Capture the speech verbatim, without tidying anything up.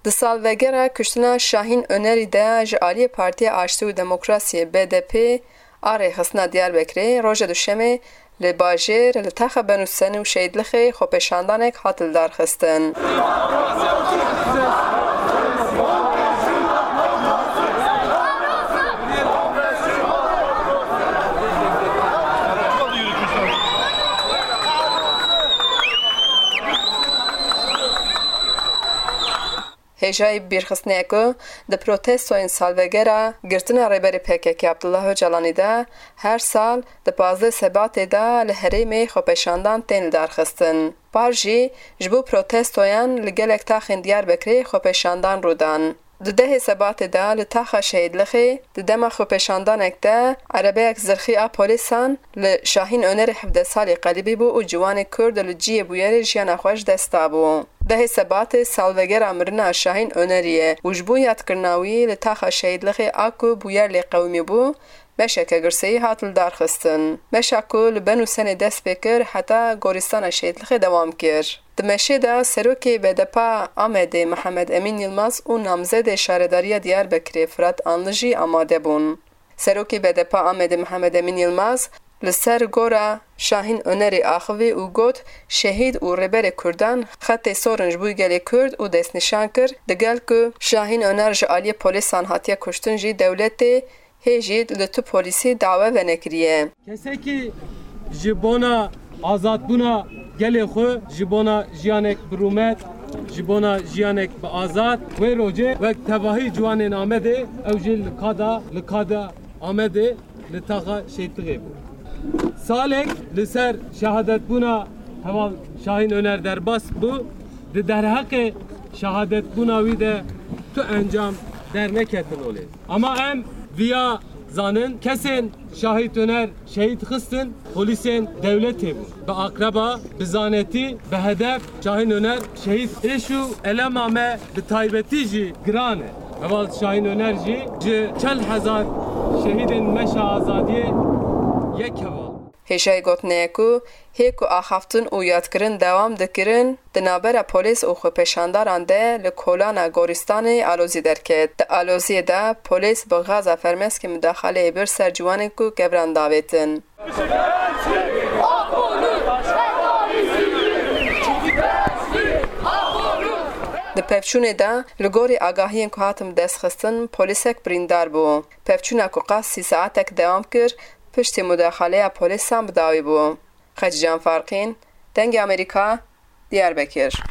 Di salvegera kuştina Şahîn Önerî de ji aliyê Partiya Aştî û Demokrasiyê, B D P, a rêxistina Diyarbekirê roja Duşemê li bajêr li taxa Benûsen û Şehîdlixê xwepêşandanek hat lidarxistin. Hêjayî bîrxistinê ye ku di protestoyên salvegera girtina Rêberê P K K Abdullah Ocalanî de her sal di pazdeh Sebatê de li herêmê xwepêşandan tên lidarxistin. Par jî ji bo protestoyan li gelek taxên Diyarbekirê xwepêşandan rû dan. Di dehê Sebatê de li taxa Şehîdlixê di dema xwepêşandanek de erebeyek zirxî a polîsan li Şahîn Önerê hevdeh salî qelibî bû û ciwanê Kurd li cihê bûyerê jiyana xwe ji dest dabû. Dehê Sebatê salvegera mirina Şahîn Önerî ye û ji bo yadkirina wî li taxa Şehîdlixê a ku bûyer lê qewimî bû, beşeke girseyî hat lidarxistin. Beşa ku li Benûsenê dest pê kir heta gorîstana Şehîdlixê dewam kir. Di meşê de serokê B D P a Amedê Mihemed Emîn Yilmaz û namzedê şaredariya Diyarbekirê Firat Anlı jî amade bûn. Serokê B D P a Amedê Mihemed Emîn Yilmaz li ser gora Şahîn Önerî axivî û got, Şehîd û Rêberê Kurdan xetê sor in ji bo gelê Kurd û destnîşan kir, digel ku Şahîn Öner ji aliyê polîsan hatiye kuştin jî dewletê hê jî li tu polîsî dawe venekiriye. Kesekî ji bona azadbûna gelê xwe, ji bona jiyanek bi rûmet, ji bona jiyanek bi azad, wê rojê wek tevahî ciwanên Amedê ew jî li ka de, li ka de Amedê li taxa Şehîdlixê bû. Salek li ser şehadetbûna heval Şahîn Öner derbas bû, di derheqê şehadetbûna wî de tu encam derneketin olê. Ama em viya zanin, kesên Şahîn Öner şehîd xistin, polîsên dewletê bûn. Bi akraba, bi zanetî, bi hedef Şahîn Öner şehîd. Êş û elema me bi taybetî jî giran e. Heval Şahîn Öner jî ji çel hezar şehîdên meşa azadiyê yek heval. Hêjayî gotinê ye ku hê ku axaftin û yadkirin dewam dikirin, di navbera polîs û xwepêşandaran de li kolana gorîstanê alozî derket. Di aloziyê de polîs bi gaza fermeskê mudaxaleyê bir ser ciwanên ku kevran davêtin. Di pevçûnê de, li gorî agahiyên ku hatin destxistin, polîsek birîndar bû. Pevçûna ku qas sî saetek dewam kir, piştî mudaxaleya polîsan bi dawî bû. Xecîcan Farqîn, Dengê Amerîka, Diyarbekir.